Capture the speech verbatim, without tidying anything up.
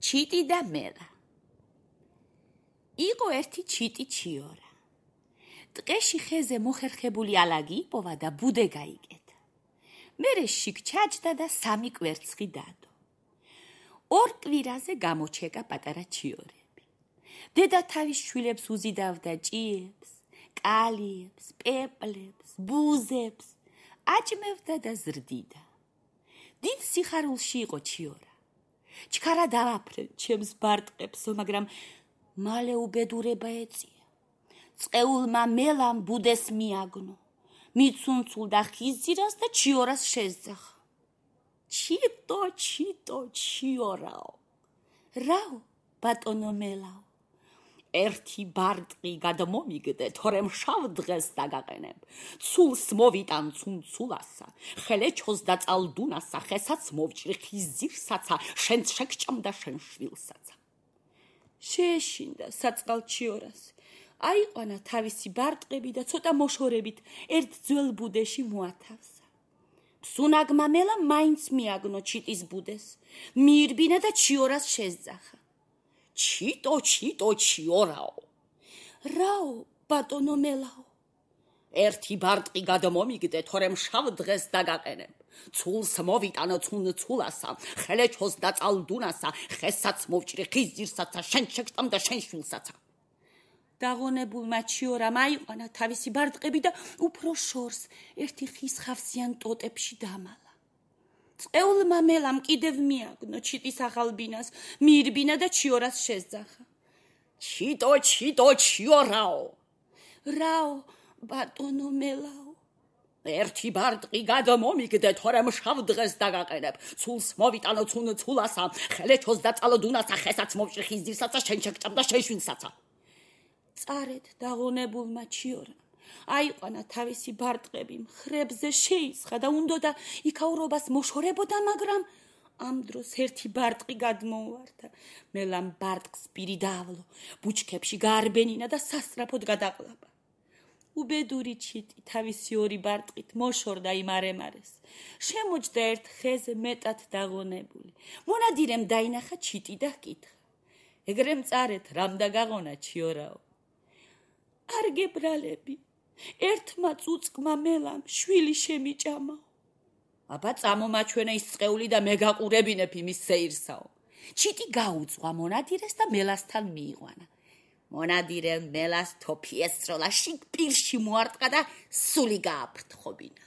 ჩიტი და მელა. იყო ერთი ჩიტი ჩიორა. ტყეში ხეზე მოხერხებული ალაგი იპოვა და ბუდე გაიკეთა. მერე შიგ ჩაჯდა და სამი კვერცხი დადო. ორ კვირაზე გამოჩეკა პატარა ჩიორები. დედა თავის შვილებს უზიდავდა ჭიებს, კალიებს, პეპლებს, ბუზებს, აჭმევდა და ზრდიდა. დიდ სიხარულში იყო ჩიორა. ჩქარა დავაფრენ ჩემს ბარტყებსო, მაგრამ მალე უბედურება ეწია. წყეულმა მელამ ბუდეს მიაგნო, მიცუნცულ და ხიზირას და ჩიორას შეძახა. ჩიტო, ჩიტო, ჩიორაო. რაო, ბატონო მელაო. ერთი ბარტყი გადმომიგდე, თორემ შავ დღეს დაგაყენებ. ცულს მოვიტან ცუნცულასა, ხელეჩოს და წალდუნასა, ხესაც მოვჭრი ხიზირსაცა, შენ შეგჭამ და შენ შვილსაცა. შეეშინდა საწყალ ჩიორას. აიყვანა თავისი ბარტყები და ცოტა მოშორებით ერთ ძველ ბუდეში მოათავსა. სუნაგმა მელა მაინც მიაგნო ჩიტის ბუდეს, მიირბინა და ჩიორას შეძახა. ჩიტო, ჩიტო, ჩიორაო. რაო, ბატონო მელაო. ერთი ბარტყი გადმომიგდე, თორემ შავ დღეს დაგაყენებ. ცულს მოვიტანო ცუნცულასა, ხელეჩოს და წალდუნასა, ხესაც მოვჭრი ხიზირსაცა, შენ შეგჭამ და შენ შვილსაცა. დაღონებულმა ჩიორამ აიყვანა თავისი ბარტყები და უფრო შორს ერთი ხის ხავსიან ტოტებში დამალა. წყეულმა მელამ კიდევ მიაგნო ჩიტის ახალბინას, მიირბინა და ჩიორას შეძახა. ჩიტო, ჩიტო, ჩიორაო. რაო, ბატონო მელაო. ერთი ბარტყი გადმომიგდე, თორემ შავ დღეს დაგაყენებ. ცულს მოვიტანო ცუნცულასა, ხელეჩოს და წალდუნასა, ხესაც მოვჭრი ხიზირსაცა, შენ შეგჭამ და შენ შვილსაცა. წარედ დაღონებულმა ჩიორამ აიყვანა თავისი ბარტყები, მხრებზე შეისხა და უნდოდა იქაურობას მოშორებოდა, მაგრამ ამ დროს ერთი ბარტყი გადმოუვარდა. მელამ ბარტყს პირი დაავლო, ბუჩქებში გაარბენინა და სასწრაფოდ გადაყლაპა. უბედური ჩიტი თავისი ორი ბარტყით მოშორდა იმ არემარეს. შემოჯდა ერთ ხეზე მეტად დაღონებული. მონადირემ დაინახა ჩიტი და ჰკითხა. ეგრე მწარეთ, რამ დაგაღონა ჩიორაო? არ გებრალები, ერთმა წუწკმა მელამ შვილი შემიჭამაო. აბა წამომაჩვენე ის წყეული და მე გაყურებინებ იმის სეირსაო. ჩიტი გაუძღვა მონადირეს და მელასთან მიიყვანა. მონადირემ მელას თოფი ესროლა, შიგ პირში მოარტყა და სული გააფრთხობინა.